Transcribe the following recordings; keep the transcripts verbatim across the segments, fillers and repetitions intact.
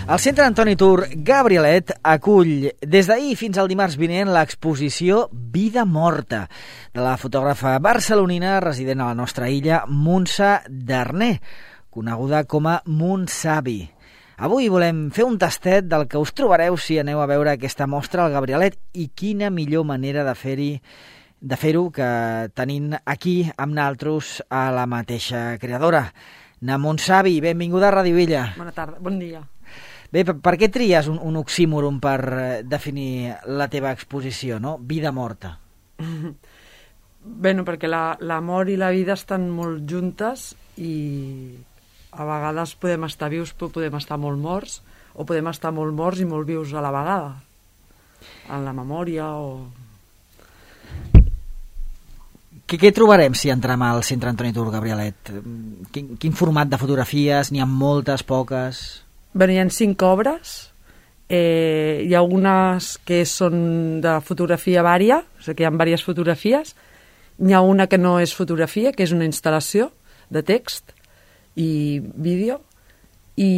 El Centre Antoni Tur Gabrielet acull des d'ahir fins al dimarts vinent l'exposició Vida Morta de la fotògrafa barcelonina resident a la nostra illa, Montse Darner, coneguda com a Montsavi. Avui volem fer un tastet del que us trobareu si aneu a veure aquesta mostra al Gabrielet i quina millor manera de fer-hi de fer-ho que tenint aquí amb naltros a la mateixa creadora. Na Montsavi, benvinguda a Ràdio Illa. Bona tarda, bon dia. Bé, per, per què tries un, un oxímoron per eh, definir la teva exposició, no? Vida morta. Bé, no, perquè la, la mort i la vida estan molt juntes i a vegades podem estar vius però podem estar molt morts, o podem estar molt morts i molt vius a la vegada, en la memòria o... Què, què trobarem si entrem al Centre Antoni Tur Gabrielet? Quin, quin format de fotografies? N'hi ha moltes, poques? Bé, hi ha cinc obres. Eh, hi ha algunes que són de fotografia vària, o sigui que hi ha diverses fotografies. N'hi ha una que no és fotografia, que és una instal·lació de text i vídeo. I,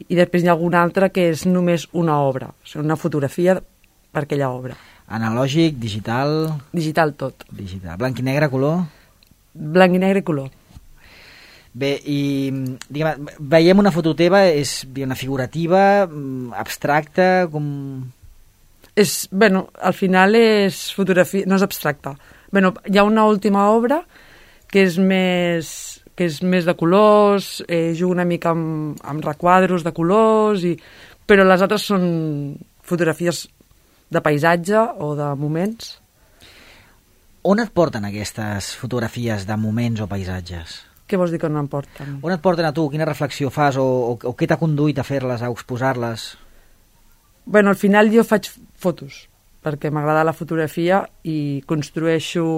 i després hi ha alguna altra que és només una obra, o sigui, una fotografia per aquella obra. Analògic, digital... Digital tot. Digital. Blanc i negre, color? Blanc i negre i color. Bé, i diguem, veiem una foto teva, és diguem, figurativa, abstracta, com... És, bueno, al final és fotografia, no és abstracta. Bueno, hi ha una última obra que és més, que és més de colors, eh, juga una mica amb, amb requadros de colors, i, però les altres són fotografies de paisatge o de moments. On et porten aquestes fotografies de moments o paisatges? Què vols dir que no em porten? On et porten a tu? Quina reflexió fas? O, o, o què t'ha conduït a fer-les, a exposar-les? Bueno, al final jo faig fotos, perquè m'agrada la fotografia i construeixo,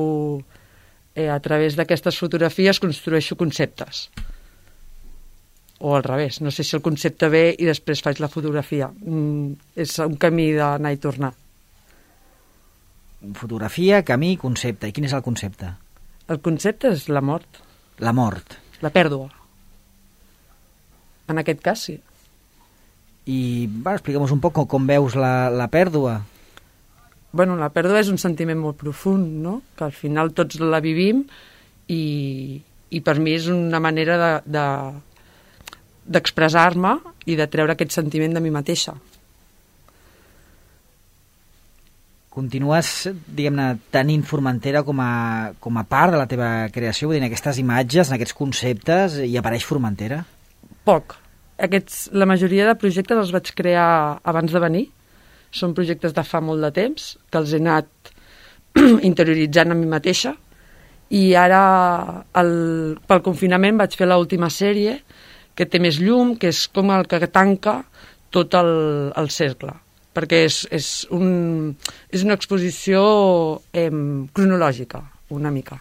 eh, a través d'aquestes fotografies, construeixo conceptes. O al revés, no sé si el concepte ve i després faig la fotografia. Mm, és un camí d'anar i tornar. Fotografia, camí, concepte. I quin és el concepte? El concepte és la mort. La mort. La pèrdua. En aquest cas, sí. I va, explica'm un poc com, com veus la, la pèrdua. Bueno, la pèrdua és un sentiment molt profund, no? Que al final tots la vivim i, i per mi és una manera de... de d'expressar-me i de treure aquest sentiment de mi mateixa. Continues, diguem-ne, tenint Formentera com a, com a part de la teva creació? Vull dir, en aquestes imatges, en aquests conceptes, hi apareix Formentera? Poc. Aquests, la majoria de projectes els vaig crear abans de venir. Són projectes de fa molt de temps, que els he anat interioritzant a mi mateixa. I ara, el, pel confinament, vaig fer l'última sèrie, que té més llum, que és com el que tanca tot el, el cercle, perquè és, és, un, és una exposició eh, cronològica, una mica.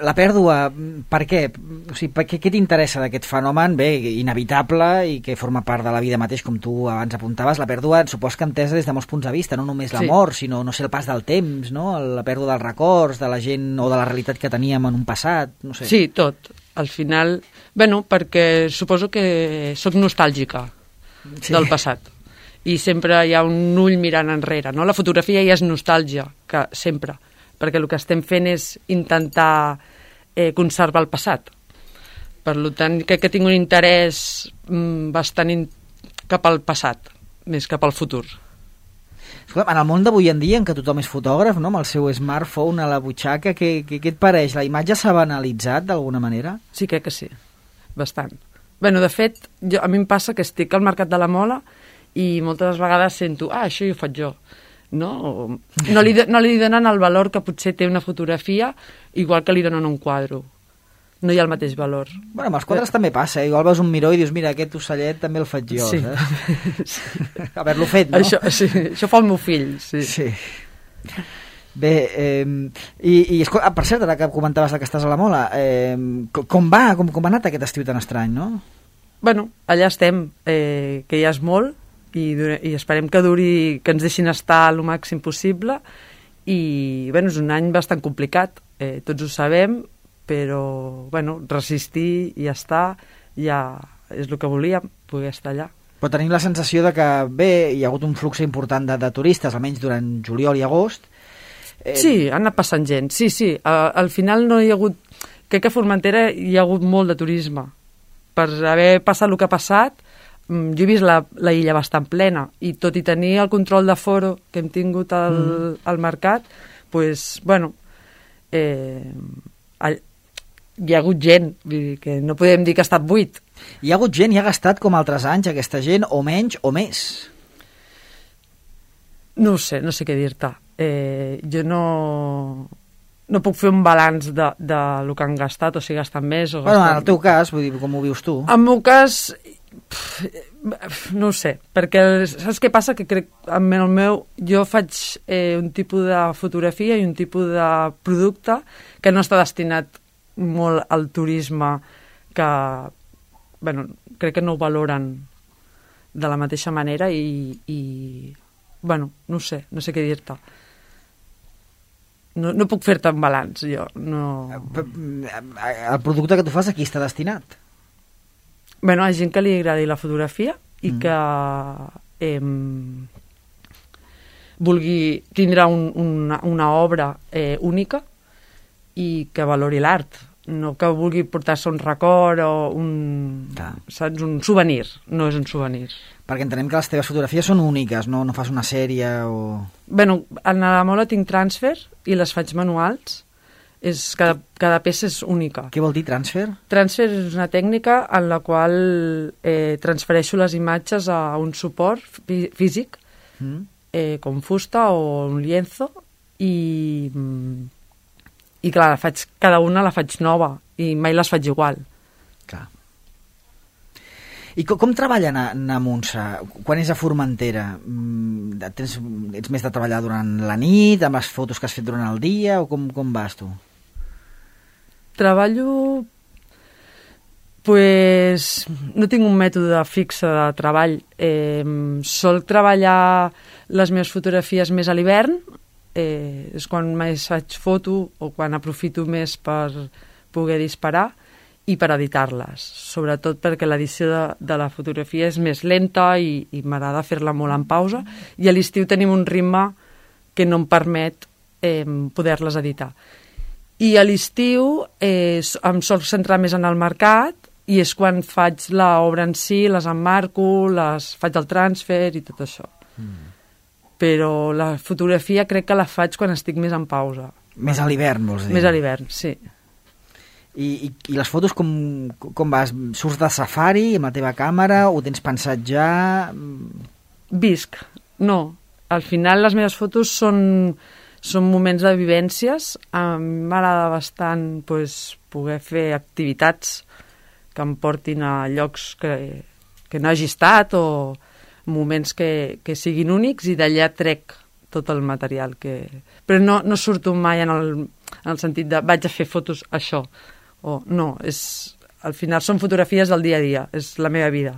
La pèrdua, per què? O sigui, per què, què t'interessa d'aquest fenomen? Bé, inevitable i que forma part de la vida mateix, com tu abans apuntaves. La pèrdua, supos que entesa des de molts punts de vista, no només la sí. mort, sinó, no sé, el pas del temps, no? La pèrdua dels records, de la gent o de la realitat que teníem en un passat, no sé. Sí, tot. Al final, bueno, perquè suposo que sóc nostàlgica sí. del passat. I sempre hi ha un ull mirant enrere, no? La fotografia ja és nostàlgia, que sempre, perquè el que estem fent és intentar eh, conservar el passat. Per tant, crec que tinc un interès mm, bastant in... cap al passat, més cap al futur. En el món d'avui en dia, en què tothom és fotògraf, no? Amb el seu smartphone a la butxaca, què, què, què et pareix? La imatge s'ha banalitzat d'alguna manera? Sí, crec que sí, bastant. Bueno, de fet, jo, a mi em passa que estic al Mercat de la Mola i moltes vegades sento, ah, això ho faig jo. No, no, li, no li donen el valor que potser té una fotografia, igual que li donen un quadre. No hi ha el mateix valor. Bueno, amb els quadres eh? també passa, eh? Igual veus un miró i dius, mira, aquest ocellet també el faig jo, sí. saps? Haver-lo fet, no? Això, sí, això fa el meu fill, sí. Sí. Bé, eh, i, i escolta, per cert, ara que comentaves que estàs a la Mola, eh, com va, com, com ha anat aquest estiu tan estrany, no? Bueno, allà estem, eh, que ja és molt, i, i esperem que duri, que ens deixin estar el màxim possible, i bueno, és un any bastant complicat, eh, tots ho sabem, però bueno, resistir i estar, ja, és el que volíem, poder estar allà. Però tenim la sensació de que, bé, hi ha hagut un flux important de, de turistes, almenys durant juliol i agost. Eh... Sí, han anat passant gent, sí, sí. Al, al final no hi ha hagut... Crec que a Formentera hi ha hagut molt de turisme. Per haver passat el que ha passat, jo he vist la, la illa bastant plena, i tot i tenir el control d'aforo que hem tingut al, mm. al mercat, pues, bueno, eh, all, hi ha hagut gent, vull dir que no podem dir que ha estat buit. Hi ha hagut gent i ha gastat com altres anys aquesta gent, o menys o més? No ho sé, no sé què dir-te. Eh, jo no, no puc fer un balanç de, de lo que han gastat, o si gastat més o gastat... Bueno, en el teu cas, vull dir, com ho vius tu? En el meu cas, pff, no ho sé, perquè saps què passa? Que crec, en el meu, jo faig eh, un tipus de fotografia i un tipus de producte que no està destinat molt al turisme, que bueno, crec que no ho valoren de la mateixa manera i, i bueno, no sé, no sé què dir-te. No, no puc fer-te un balanç, jo. No... El producte que tu fas a qui està destinat? Bueno, a gent que li agradi la fotografia i mm. que eh, vulgui tindre un, una, una obra eh, única i que valori l'art, no que vulgui portar-se un record o un, saps, un souvenir, no és un souvenir. Perquè entenem que les teves fotografies són úniques, no, no fas una sèrie o... Bueno, en la mola tinc transfer i les faig manuals, és, cada, cada peça és única. Què vol dir transfer? Transfer és una tècnica en la qual eh, transfereixo les imatges a un suport fí físic, mm. eh, com fusta o un lienzo, i... I clar, la faig, cada una la faig nova i mai les faig igual. Clar. I com, com treballen a, a Munsa? Quan és a Formentera? Tens, ets més de treballar durant la nit, amb les fotos que has fet durant el dia, o com, com vas tu? Treballo... Pues no tinc un mètode fixe de treball. Eh, sol treballar les meves fotografies més a l'hivern, Eh, és quan més faig foto o quan aprofito més per poder disparar i per editar-les, sobretot perquè l'edició de, de la fotografia és més lenta i, i m'agrada fer-la molt en pausa, i a l'estiu tenim un ritme que no em permet eh, poder-les editar. I a l'estiu eh, em sol centrar més en el mercat i és quan faig l'obra en si, les emmarco, les faig el transfer i tot això. Mm. Però la fotografia crec que la faig quan estic més en pausa. Més a l'hivern, vols dir? Més a l'hivern, sí. I, i, i les fotos com, com vas? Surts de safari amb la teva càmera? Ho tens pensat ja? Visc, no. Al final les meves fotos són, són moments de vivències. A mi m'agrada bastant pues, poder fer activitats que em portin a llocs que, que no hagi estat o moments que, que siguin únics, i d'allà trec tot el material que... Però no, no surto mai en el, en el sentit de vaig a fer fotos això, o no, és, al final són fotografies del dia a dia, és la meva vida.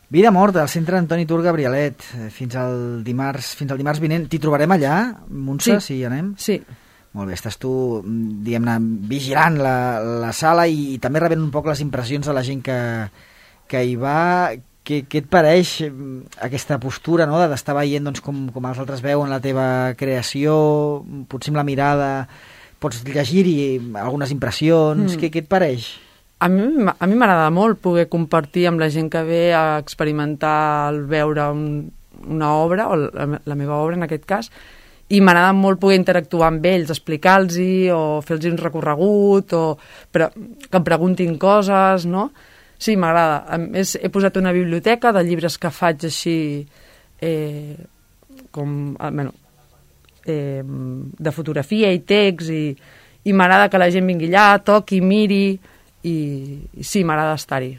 Vida morta, al centre Antoni Tur Gabrielet, fins al dimarts, fins al dimarts vinent. T'hi trobarem allà, Munsa, sí. Si hi anem? Sí. Molt bé, estàs tu, diguem-ne, vigilant la, la sala i, i també rebent un poc les impressions de la gent que, que hi va. Què, què et pareix aquesta postura, no?, d'estar veient doncs, com, com els altres veuen la teva creació, potser amb la mirada pots llegir-hi algunes impressions, mm. què, què et pareix? A mi, a mi m'agrada molt poder compartir amb la gent que ve a experimentar el veure un, una obra, o la, la meva obra en aquest cas, i m'agrada molt poder interactuar amb ells, explicar-los-hi o fer-los un recorregut, o però, que em preguntin coses, no? Sí, m'agrada. A més, he posat una biblioteca de llibres que faig així, eh, com, bueno, eh, de fotografia i text, i, i m'agrada que la gent vingui allà, toqui, miri, i, i sí, m'agrada estar-hi.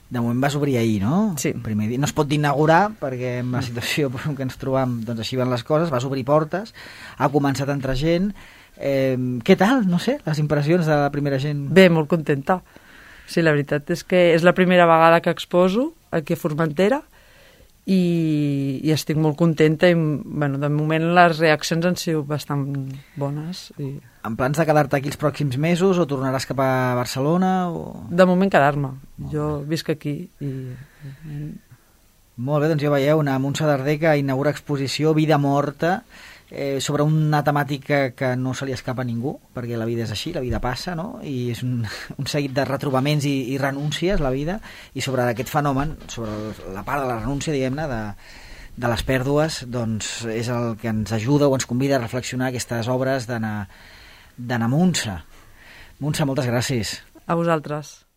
De moment vas obrir ahir, no? Sí. Primer dia. No es pot inaugurar, perquè amb la situació en què ens trobam, doncs així van les coses, vas obrir portes, ha començat a entrar gent. Eh, què tal, no sé, les impressions de la primera gent? Bé, molt contenta. Sí, la veritat és que és la primera vegada que exposo aquí a Formentera i, i estic molt contenta i, bueno, de moment les reaccions han sigut bastant bones. I... En plans de quedar-te aquí els pròxims mesos o tornaràs cap a Barcelona? O... De moment quedar-me. Jo visc aquí i... Molt bé, doncs ja veieu, una Montse Darder que inaugura exposició Vida morta, eh, sobre una temàtica que no se li escapa a ningú, perquè la vida és així, la vida passa, no? I és un, un seguit de retrobaments i, i renúncies, la vida, i sobre aquest fenomen, sobre la part de la renúncia, diguem-ne, de, de les pèrdues, doncs és el que ens ajuda o ens convida a reflexionar aquestes obres d'Anna Montse. Montse, moltes gràcies. A vosaltres.